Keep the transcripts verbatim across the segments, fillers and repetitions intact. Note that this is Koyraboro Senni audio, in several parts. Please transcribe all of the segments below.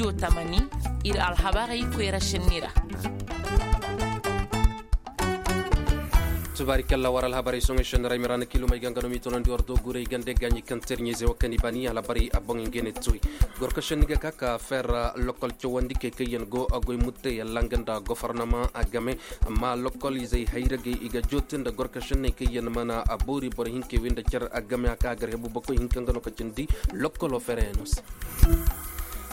Tamani, ir alhabarey koyra šenni ra. Tubaari kalla war alhabarey soŋey šenni ra i ma ra na kiilumey ga nga no m'i tonandi war doogurey gande gaaɲi kaŋ terɲey ze wo kaŋ i bani alhabarey a boŋey nga ne toy. Gorka šenni ga ka ka fer lokol cawandi kay kaŋ yaŋ go a goy murtey yalla nga nda gofornama a game. Amma lokol izey hayragey i ga joote nda gorka šenney kaŋ yaŋ mana a boori boro hinkey wey nda car a game a ka a gar hebu bakoy hinka nga no ka cindi lokolo fereyaŋo se.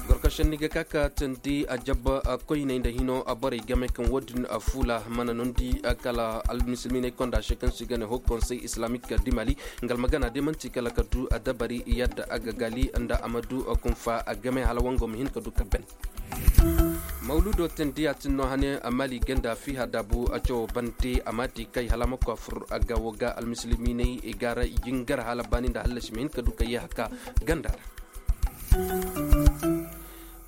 Gorka šenni ga ka ka tandi a jabba koyney nda hino a borey game kaŋ wo-din a fuula mana nondi kala almisilminey konda se kaŋ se i ga ne hokonsey islamik dimali. Nga almagana day man'ti kala ka du a dabari yadda a ga gaali nda a ma du kunfa a game hala wango ma hin ka du ka ben. Mawludo tandi a tin no hane mali ganda fiha dabu a cawo bante a ma di kay hala a ma ko a fur a ga wo ga almisilminey i ga ra jingar hala baani nda hallasi ma hin ka du ka yee haka ganda ra.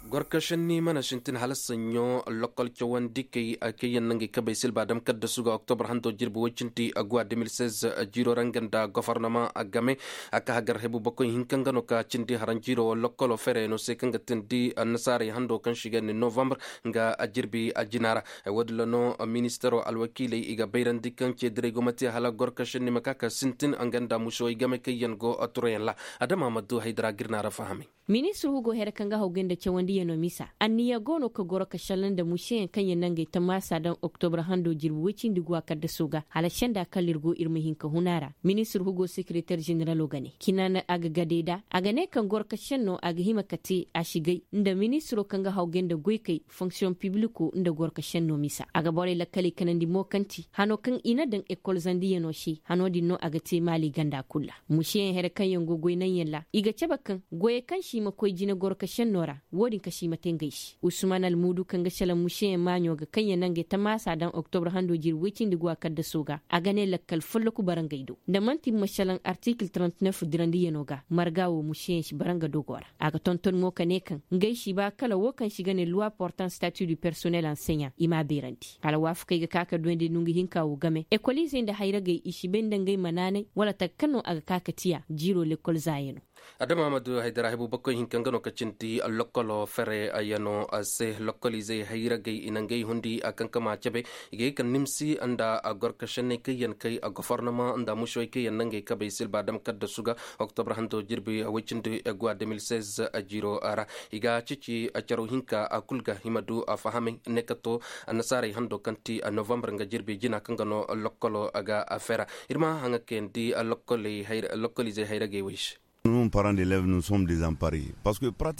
Gorka šenni mana sintin hala saɲɲo lokol cawandi kay kay yaŋ nangey kabey silba dam kadda suga oktobar hando jirbi woy cindi aguwa deux mille seize. Jiiro ra nga nda gofornama a game a ka hagar hebu bakoy hinka nga no ka cindi haranjiiro wo lokkolo fereyaŋo se kaŋ ga tindi annasaarey hando kaŋ se i ga ne novambar nga jirbi jina ra. Wo-din ra no ministaro alwakiiley i ga bayrandi kaŋ ceediray go ma te hala gorka šenni ma ka ka sintin nga nda musowey game kaŋ yaŋ go turayaŋ ra. Adama ma du haydara ga ir na ra fahamay. Ministir hugo here kaŋ ga hawgay nda cawandiyanoo misa anniya go no ka goro ka šalla nda museyaŋ kaŋ yaŋ nangey tammaasa daŋ oktobar hando jirbi woy cindi guwa kaddaso ga hala senda kala ir go ir ma hin ka hun a ra. Ministir hugo sekereter ženeralo ga ne kina na a ga gadey da a ga ne kaŋ goro ka šenno a ga hima ka te a si gay nda ministiro kaŋ ga hawgay nda goykey fonksiyoŋ pibliko nda goro ka šenno misa a ga borey lakkaley kanandi mo kaŋ ti hano kaŋ i na daŋ ekol zandiyanoo se hano din no a ga te maali ganda kul ra. Museyaŋ here kaŋ yaŋ go goy naŋ yaŋ ra i ga cabe kaŋ goyey kaŋ se i ma koy jine goro ka šenno ra wo-din ka se i ma te ngey se usman almuudu kaŋ ga šelaŋ museyaŋ maaɲo ga kaŋ yaŋ na ngey tamaasa daŋ oktobar hando jirbi woy cindi guwa kaddaso ga a ga ne lakkal folloku bara ngey do nda man'ti ma šelaŋ artikil trente-neuf dirandiyanoo ga marga wo museyaŋ si bara nga dogo ra. A ga tonton mo ka ne kaŋ ngey si ba kala wo kaŋ se i ga ne luwa portan stati du personnel anseɲa i m'a beerandi. Alwaafakey ga ka ka duwandi nda nga hinka wo game ekoliizey nda hayragey i si bay nda ngey ma naanay wala taka kaŋ no a ga ka ka tiya jiiro lekol zaayanoo. Adama ma du haydara hebu bakoy hinka nga no ka cindi lokolo fere yaŋo se lokoliizey hayragey i na ngey hundi a kaŋ ka ma cabe i ga ye ka nimsi nda a gorka šenney kaŋ yaŋ kay a gofornama nda mušewey kaŋ yaŋ na ngey kabey silba dam kaddasu ga. Oktobar hando jirbi woy cindi guwa deux mille seize jiiro ra i ga cici caro hinka a kul ga i ma du a fahamay ne ka to annasaarey hando kaŋ ti novambar nga jirbi jina kaŋ ga no lokkolo ga a fera. Ir ma haŋa kayandi lokkoliizey hayragey wey se.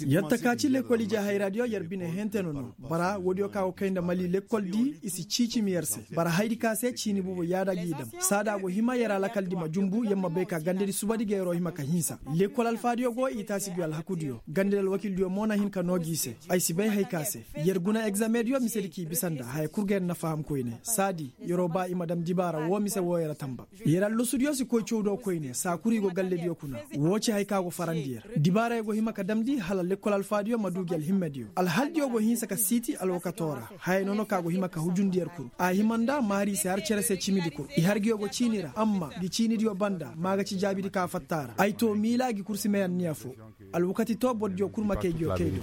Yatta ka ci lekoliizey hayraadiyo yer bine henteno no bara woodiyo ka go kay nda mali lekol di i si ciicimi yer se bara haydi ka se ciini bubu yaada g'i dam saada go hima yer alakal di ma jumbu yer ma bay ka gandadi subadi ga yeroo hima ka hinsa. Lekol alfaadiyo go i taasi gi alhakudiyo gandadi alwakildiyo mo na hin ka noo g'i se. Ay si bay hay ka se yer guna egzamediyo misedi k'i bisa nda haya kul ga yer na faham koyne saadi yeroo ba i ma dam dibaara woo mise woo yer a tamba. Yer allosudiyo si koy cawdoo koyne saa kul i go gallediyo kuna. Woo ci hay ka go farandi yer dibaarey go hima ka damndi hala lekkol alfaadiyo ma duu gi alhimmediyo alhaldiyo go hinsa ka siiti alwakatoo ra. Haya nono ka go hima ka hujundi yer kul a hima nda maari i se har cere se cimidi kul i har ngiyo go ciini ra amma ngi ciinidiyo banda maa ga ci jaabidi ka fatta a ra ay too miila ngi kul si may anniya foo. Alwakati too bordiyo kul ma kay ngiyo kay do.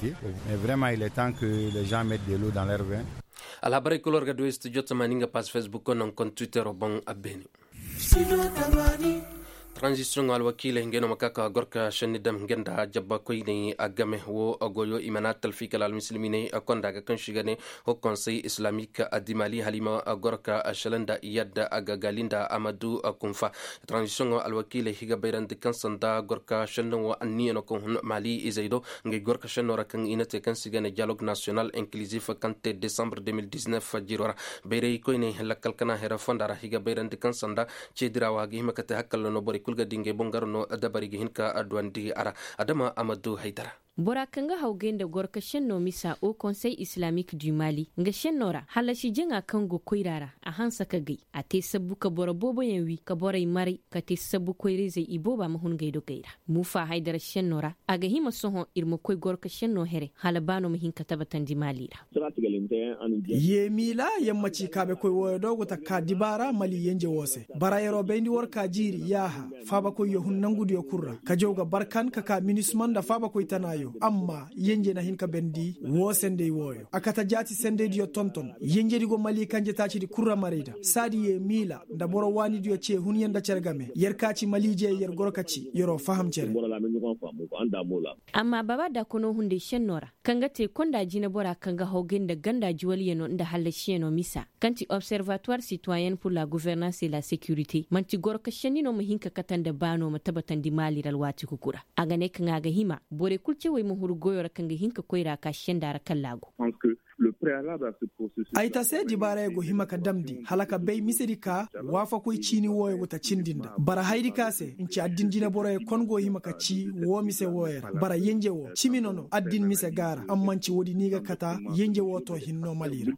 Alhabarey kul war ga du studio tamaani nga pass facebook ko naŋ kon twittero boŋ a beene. Taranzisiyoŋo alwakiiley ngey no ma ka ka gor ka šenni dam ngey nda jabba koyney a game woo goyo i mana talfi kala almisilminey konda ga kaŋ se i ga ne hokonsey islamik adimali hala i ma gor ka šelaŋ nda yadda a ga gaali nda a ma du kunfa. Taranzisiyoŋo alwakiiley i ga bayrandi kaŋ sanda gor ka šenni woo anniya no kaŋ hun mali izey do. Ngey gor ka šenno ra kaŋ i na te kaŋ se i ga ne diyalog nasiyonal inkilizif kaŋ te desambre deux mille dix-neuf jiiro ra. Bayray koyne lakkal kana hera fonda ra i ga bayrandi kaŋ sanda ceedira wo a ga hima ka te hakkalla no borey kul ga di ngey boŋ gar no dabari ga hin ka duwandi a ra. Adama a ma du haydara. Bora kaŋ ga hawgay nda gor ka šenno misa o konsey islamik du mali nga šenno ra hallasi jaŋa kaŋ go koyra ra a hanse ka gay a te sabbu ka boro booboyaŋ wi ka borey maray ka te sabbu koyra-izey ibooba ma hun gay dogey ra. Muufa haydara šenno ra a ga hima sohõ ir ma koy gor ka šenno here hala ba no ma hin ka tabatandi maali ra. Yeemiila yer ma ci kaabekoy wooyo do go taka ka dibaara mali yenje woo se bara yeroo bayndi war ka jiiri yaaha faabakoyyo hun nangudiyo kul ra ka jaw ga barkan ka ka minisma nda faabakoy tanaayo. Amma yenje na hin ka bendi woo sendey wooyo a kate jaati sendeydiyo tonton yenjedi go mali kanje taacidi kul ra marayda saadi yee miila nda boro waanidiyo cee hunyaŋ nda cere game yer ka ci maliijey yer goro ka ci yer'o faham cere. Amma baaba daakonoo hunday šennoo ra kaŋ ga te konda jineboraa kaŋ ga hawgay nda ganda juwalyanoo nda hallasiyanoo misa kaŋ ti observatuwar sitwayen pur la guvernans e la sekirite man'ti goro ka šenni no ma hin ka kate nda baanoo ma tabatandi maali ra alwaati kuku ra. A ga ne kaŋ a ga hima borey kul cawey ma huru goyoo ra kaŋ ga hin ka koyra ka senda ra kalla go. Ay ta se dibaarayey go hima ka damndi hala ka bay misedi ka waafakoy ciini wooyo go ta cindi nda bara hayadi ka se nci addin jineboroyey kon go hima ka ci woo mise wooyo ra bara yenje woo cimi no no addin mise ga a ra amma nci woodi ni ga kata yenje woo too hinno mali ra.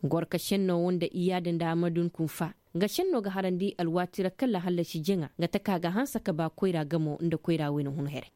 Gorka šennoo woo nda iyaada nda amadun kunfa nga šennoo ga harandi alwaati ra kalla hallasi jaŋa nga taka ga hanse ka ba koyra gamo nda koyra wayna hun here.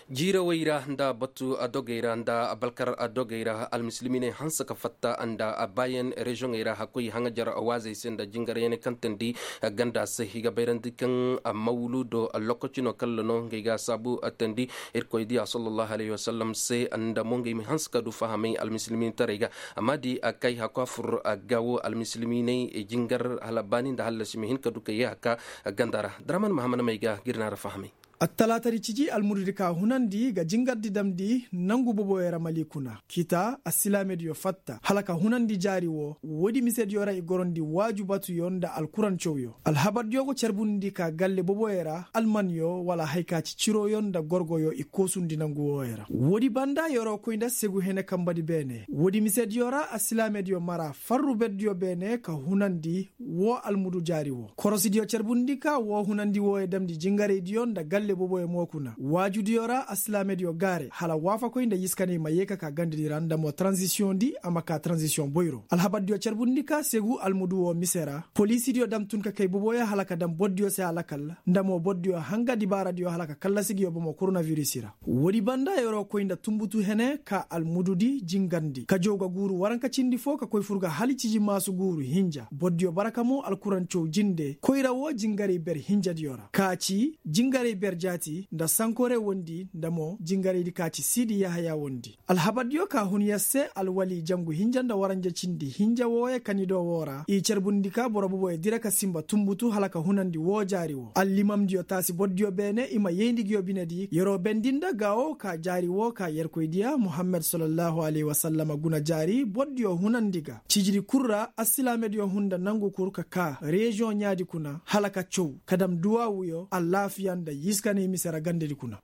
Jiirawey ra nda batu dogey ra nda balkar dogey ra almisilminey hanse ka fatta nda baayan reziyoŋey ra hakkoy haŋajar waazey se nda jingaryaŋ kaŋ teendi ganda se i ga bayrandi kaŋ mawludo lokaci no kalla no ngey ga saabu teendi irkoy diya sallallahu alayhi wasallam se nda mo ngey ma hanse ka du fahamay almisilmintaray ga. Amma di kay hakku a fur ga wo almisilminey jingar hala baani nda hallasi ma hin ka du ka yee hakka ganda ra. Daraman mahaman may ga ga ir na ra fahamay. Attalaatadi ciji almududi ka hunandi ga jingardi damndi nangu boboyo ra mali kuna kita assilaamediyo fatta hala ka hunandi jaari woo woodi misediyo ra i gorondi waaju batuyo nda alkurancawyo. Alhabardiyo go carbundi ka galle boboyo ra almanyo wala haya ka ci ciroyo nda gorgoyo i koosundi nangu wooyo ra woodi banda yer'o koy nda segu hene kambadi beene woodi misediyo ra assilaamediyo mara farru berdiyo beene ka hunandi woo almudu jaari woo korosidiyo carbundi ka woo hunandi wooyo damndi jingaraydiyo nda galle boboyo mo kuna waajudiyo ra assilaamediyo gaare hala waafakoy nda yiskaney ma yee ka ka gandadi ra nda mo taranzisiyoŋdi a ma ka taranzisiyoŋ boyro alhabardiyo carbundi ka segu almudu woo mise ra poliisidiyo dam tun ka kay boboyo hala ka dam bordiyo se alakal nda mo bordiyo hanga dibaaradiyo hala ka kallasi ngiyo bomo koronavirisi ra. Woodi banda yer'o koy nda tunbutu hene ka almududi jingarndi kajow ga guuru waranka cindi foo ka koy fur ga hala ciji maasu guuru hinja bordiyo baraka mo alkurancaw jinde koyra woo jingaray ber hinjadiyo ra ka ci jingaray ber jaati nda sankore wondi nda mo jingaraydi ka ci siidi yahaya wondi alhabardiyo ka hun yer se alwali jangu hinja nda waranja cindi hinja wooyo kanido woo ra i carbundi ka boro boboyo dira ka sinba tunbutu hala ka hunandi woo jaari woo allimamdiyo taasi bordiyo beene i ma yayndi ngiyo binedi yer'o bendi nda gaawo ka jaari woo ka yerkoydiya muhammad sallallahu alayhi wasallama guna jaari bordiyo hunandi ga cijidi kul ra assilaamediyo hun nda nangu kul ka kaa reziyoŋ ɲaadi kuna hala ka caw ka dam duwaawuyo alaafiya nda yiskanay mise ra gandedi kuna.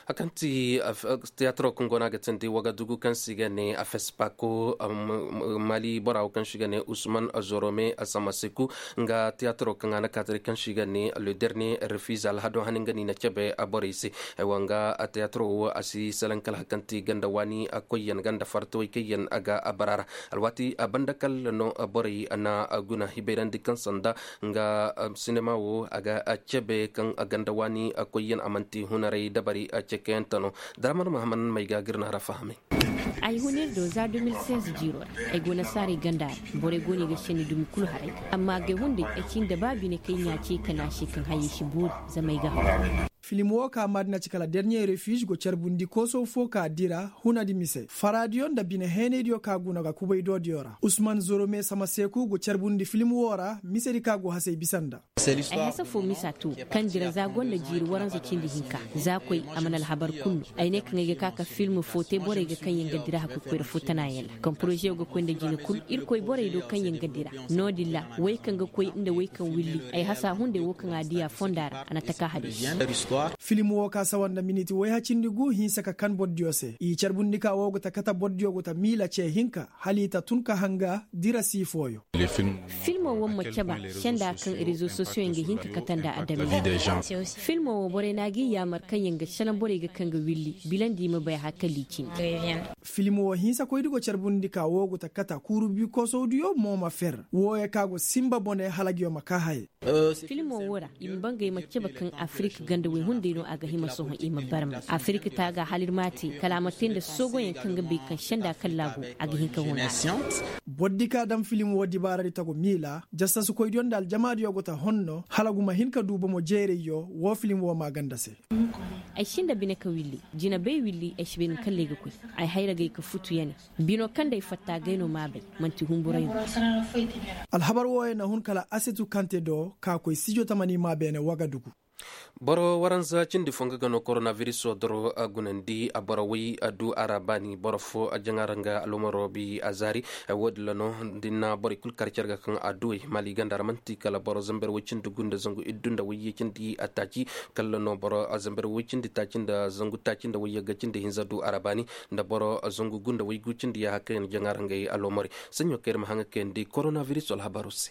Kaŋ ti tiyaatiro kaŋ go no a ga teendi wagadugu kaŋ se i ga ne afespako mali bora wo kaŋ se i ga ne usman zorome asamaseku nga tiyaatiro kaŋ a na kaatari kaŋ se i ga ne le dernier refuse alhado hani nga no i na cabe borey se. Aywa nga tiyaatiro wo a si salaŋ kala hari kaŋ ti ganda waani koyyaŋ ganda fartawey kaŋ yaŋ a ga bara ra alwaati banda kala no borey na guna hibayrandi kaŋ sanda nga sinema wo a ga cabe kaŋ ganda waani koyyaŋ a manti hunaray dabari cekeyante no. Daraman mahaman may ga ga ir na ra fahamay. Ay hun ir do za deux mille seize jiiro ra ay go nasaarey ganda ra. Borey go no i ga senni dumi kulu haray amma agay hunday ay cin da ba bine kaŋ ɲaa ce ka ne a se kaŋ hayey si boori zama ay ga haw. Film wo ka maadina ci kala dernier refuge go carbundi koosow fo ka dira hunadi mise faraadiyo nda bine heenaydiyo ka guna ga kubay doodiyo ra usman zorome samaseku go carbundi film wo ra misedi ka go hasey bisa nda. Ay hasa fo misa to kaŋ dira za gonda jiiri waranza cindi hinka za koy a mana alhabar kulu no. Ay ne kaŋ ay ga ka ka film fo te borey ga kaŋ yaŋ ga dira hakkoy koyra fo tanayaŋ ra kaŋ poroze wo ga koy nda jine kulu irkoy borey do kaŋ yaŋ ga dira. No-din ra wey kaŋ ga koy nda wey kaŋ willi ay hasa hunday wo kaŋ a diya fonda ra a na taka hadiisi. Film wo ka sawa nda miniti woyhacindi gu hinsa ka kan bordiyo se i carbundi ka wo ga ta kata bordiyo ga ta miila ce hinka hala i ta tun ka hanga dira si fooyo. Filmo wo ma caba senda kaŋ rezo sosiyoŋ ga hin ka kata nda adamize. Filmo wo borey no a g'i yaamar kaŋ yaŋ ga salaŋ borey ga kaŋ ga willi bilandi i ma bay hari kaŋ liicindi. Filmo wo hinsa koydi go carbundi ka wo go ta kata kuuru bi koosawdiyo mo ma fer wooyo ka go sinba bone hala ngiyo ma kaa haye. Filmo wo ra i ma bangay ma cabe kaŋ afirik ganda woy hunday no a ga hima sohõ i ma barma afirik taaga hala ir ma a te kala a ma te nda soogoyaŋ kaŋ ga bay kaŋ senda kalla go a ga hin ka huna. Bordi ka daŋ filim wo dibaaradi tagu miila jasasikoydiyo nda aljamaadiyo go ta honno hala gu ma hin ka du bomo jeerayyo wo filim wo maaganda se. Ay si nda bine ka willi. Jinabey willi ay si bay ni kalley ga koy. Ay hayragey ka futu ya ne. Bino kaŋ day fatta gay no maabey. Manti humburay no. Alhabar wooyey na hun kala asetu kante do ka koy sijo tamani maa beene wagadugu. Boro waranza cindi fo nga ga no koronaviris doro a gunandi a boro way a du a ra baani boro fo a jaŋa ra nga alomaro bi a zaari. Woodin ra no da ni na borey kulu kar care ga kaŋ a duwey maali ganda ra manti kala boro zamber way cindi gu nda zangu iddu nda wayye cindi a taaci. Kala no boro zamber way cindi taaci nda zangu taaci nda wayye ga cindi hinza du a ra baani nda boro zangu gu nda waygu cindi yaaha kaŋ yaŋ jaŋa ra ngey alomarey. Saɲɲo kaŋ ir ma haŋa kayandi koronaviris alhabaro se.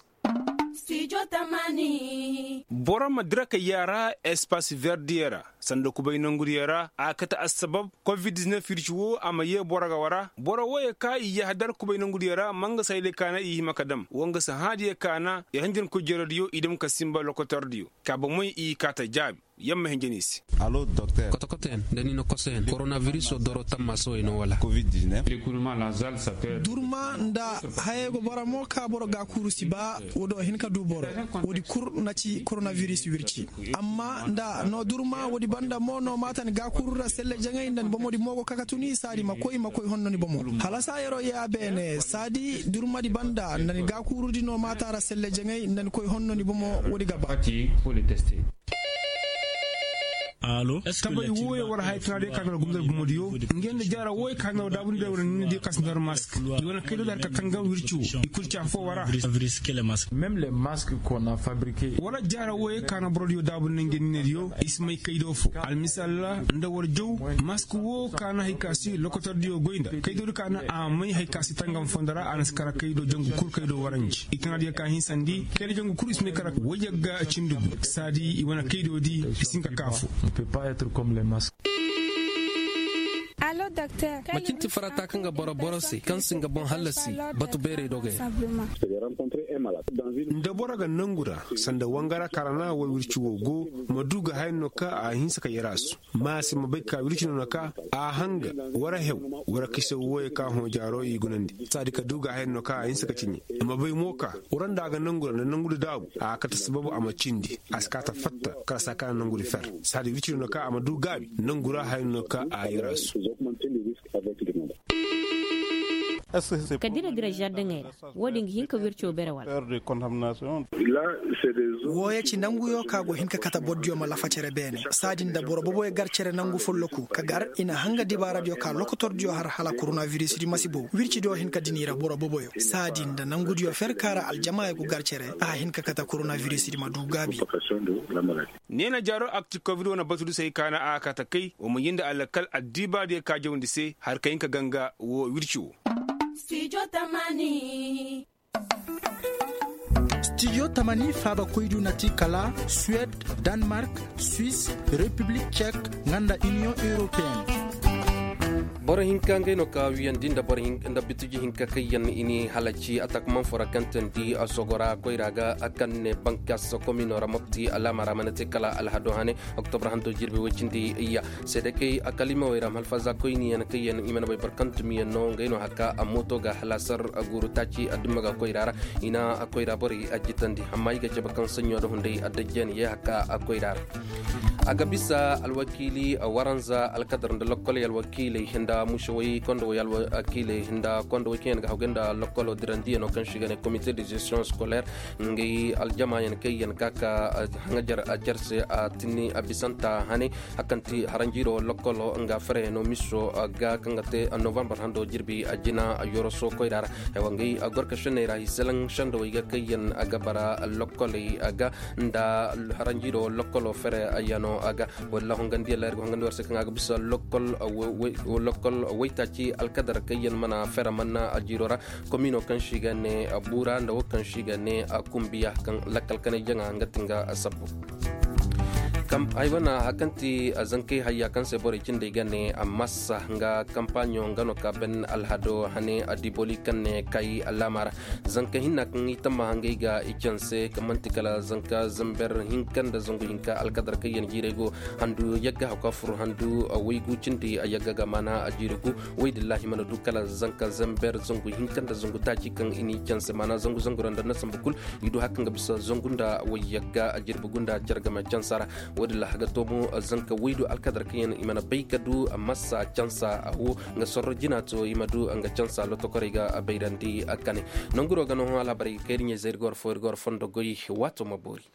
Boro ma dira ka yaara espas verdiyo ra sanda kubay nongudiyo ra a kate assabab covid-19 wirci wo a ma yee boro ga wara boro wooyey ka i yahadar kubay nongudiyo ra ma nga sayley kaana i hima ka dam wo nga si hãadiyo kaana i hanjankoy jerodiyo i dam ka sinba lokotordiyo ka bomey i kaata jaabi. Yamma hinja ni se. Kotokotoyaŋ nda ni na kosoyaŋ koronaviris doro tamma sowey no wala. Durma nda hayey go boro mo ka boro gaakuuru si ba. Wo do hin ka du boro. Woodi kul na ci koronaviris wirci. Amma nda no durma woodi banda mo no maata ni gaakuuru ra selle jaŋay nda ni bomodi mo go ka ka tuni saadi ma koy ma koy honno ni bomo. Hala saayaroo yee a beene saadi durmadi banda nda ni gaakuurudi no maata ra selle jaŋay nda ni koy honno ni bomo. Woodi ga ba. Tabay wooyey war haya tana day ka nor gumdar gumodiyo. Ngey nda jaara wooyey ka nor daabundiyo war nindiyo ka si nor mask. I wane kaydo da har ka tanga wirci wo i kul ci afo wara. Wala jaara wooyey ka na borodiyo daabun na ngey ninediyo i si may kaydo fo almisal ra nda war jaw. Mask wo ka na hay ka si lokotordiyo goy nda kaydodi ka na a may hay ka si tangam fondo ra a na si kara kaydo jangu kul kaydo waranji i tana diya ka hinsandi kayna jangu kul i si may kara wayyagga cindi gu saadi i wane kaydodi i si hin ka kaafo. Macin ti farata kaŋ ga boro boro se kaŋ si nga boŋ hallasi batu beerey dogey ra. Nda boro ga nangu ra sanda wangara karana way wirci wo go ma du ga haya no ka a hinsa ka yarasu ma a si ma bay ka wirci no na ka a hanga wara hew wara kayse wooyey ka hõ jaaro i gunandi saadi ka du ga haya no ka a hinsa ka ciɲe. A ma bay mo ka wara nda a ga nangu ra nda nangu da daabu a kate sababu a ma cindi a si ka ta fatta kala saa kaŋ a na nangu da fer saadi wirci no na ka a ma du gaabi nangu ra haya no ka a yarasu. Ka dira dira zardaŋey ra. Wo-din ga hin ka wirco bere wala? Wooyo ci nanguyo ka go hin ka kate bordiyo ma lafa cere beene saadin da boro boboyo gar cere nangu folloku ka gar i na hanga dibaaradiyo ka lokotordiyo har hala koronavirisdi masibo wircidiyo hin ka dini ra boro boboyo saadin da nangudiyo fer ka ra aljamaayo go gar cere a hin ka kate koronavirisdi ma du gaabi. Neena jaaro akti covid wane batudi se hay ka na a kate kay wa ma yee nda alakal addiibaadiyo ka jawndi se har ka hin ka ganga wo wirci wo. Stijo tamani faabakoydu na ti kala suwed, danmark, swis, repiblik cek, nga nda iniyoŋ europeen. Boro hinka ngey no ka wiyandi nda boro nda bitiji hinka kaŋ yaŋ i ni halaci atak manfo ra kaŋ teendi sogora koyra ga kaŋ ne bankas komino ra mopti alaama ra mana te kala alhado hane. Oktobra hando jirbi woy cindi iyya seede kay a kalimawey ra ma alfaza koyniyaŋ kaŋ yaŋ i mana bay boro kaŋ tumiyaŋ no ngey no haka a mooto ga halaasar guuru taaci a dumma ga koyra ra. I na koyra borey a jitandi amma i ga cabe kaŋ saɲɲo nda hunday a dajjani ye haka a koyra ra. A ga bisa alwakiili waranza alkadar nda lokkoley alwakiiley nda muusawey kondowey alwakiiley nda kondowey kaŋ yaŋ ga hawgay nda lokkolo dirandiyano kaŋ se i ga ne komite de gestion scolaire. Ngey aljamaayaŋ kaŋ yaŋ ka ka haŋajar a care se a tinni a bisanta hane. Hakanti haranjiiro lokkolo nga fereyano miso ga kaŋ ga te novambar hando jirbi a jina yoroso koyra ra. Ay wa ngey a gorka senney ra hiselaŋ sendowey ga kaŋ yaŋ a ga bara lokkoley a ga nda haranjiiro lokkolo fere yano a ga. Walla hongandiyaŋ ra ir ga hongandi war se kaŋ a ga bisa lokkol waytaaci alkadar kaŋ yaŋ mana fere manna a jiiro ra. Komino kaŋ se i ga ne buura nda wo kaŋ se i ga ne kumbiya kaŋ lakkal kanay jaŋa nga ti nga sabbu. Ay wana hari kaŋ ti zankey hayya kaŋ se borey cindey ga ne massa nga kampaɲo nga no ka ben alhado hane a diboli kaŋ ne kay alaama ra. Zanka hinna kaŋ i tamma hangey ga i canse kaŋ manti kala zanka zamber hinka nda zangu hinka alkadar kaŋ yaŋ jiirey go handu yagga haka fur handu waygu cindi a yagga ga maana a jiiri gu. Waydillahi mana du kala zanka zamber zangu hinka nda zangu taaci kaŋ i n'i canse maana zangu zangu ra nda na sambu kul. I du hari kaŋ ga bisa zangu nda wayyagga a jirbi gunda care game cansa ra. Wo- din ra a ga to mo zanka waydu alkadar kaŋ yaŋ i mana bay ka du masa cansa a wo nga sorro jina to i ma du nga cansa lotokorey ga bayrandi kane. Nanguro ga no hõ alhabarey ga kay da ɲey zay ir ga war fo ir ga war fondo goy. Waato ma boori.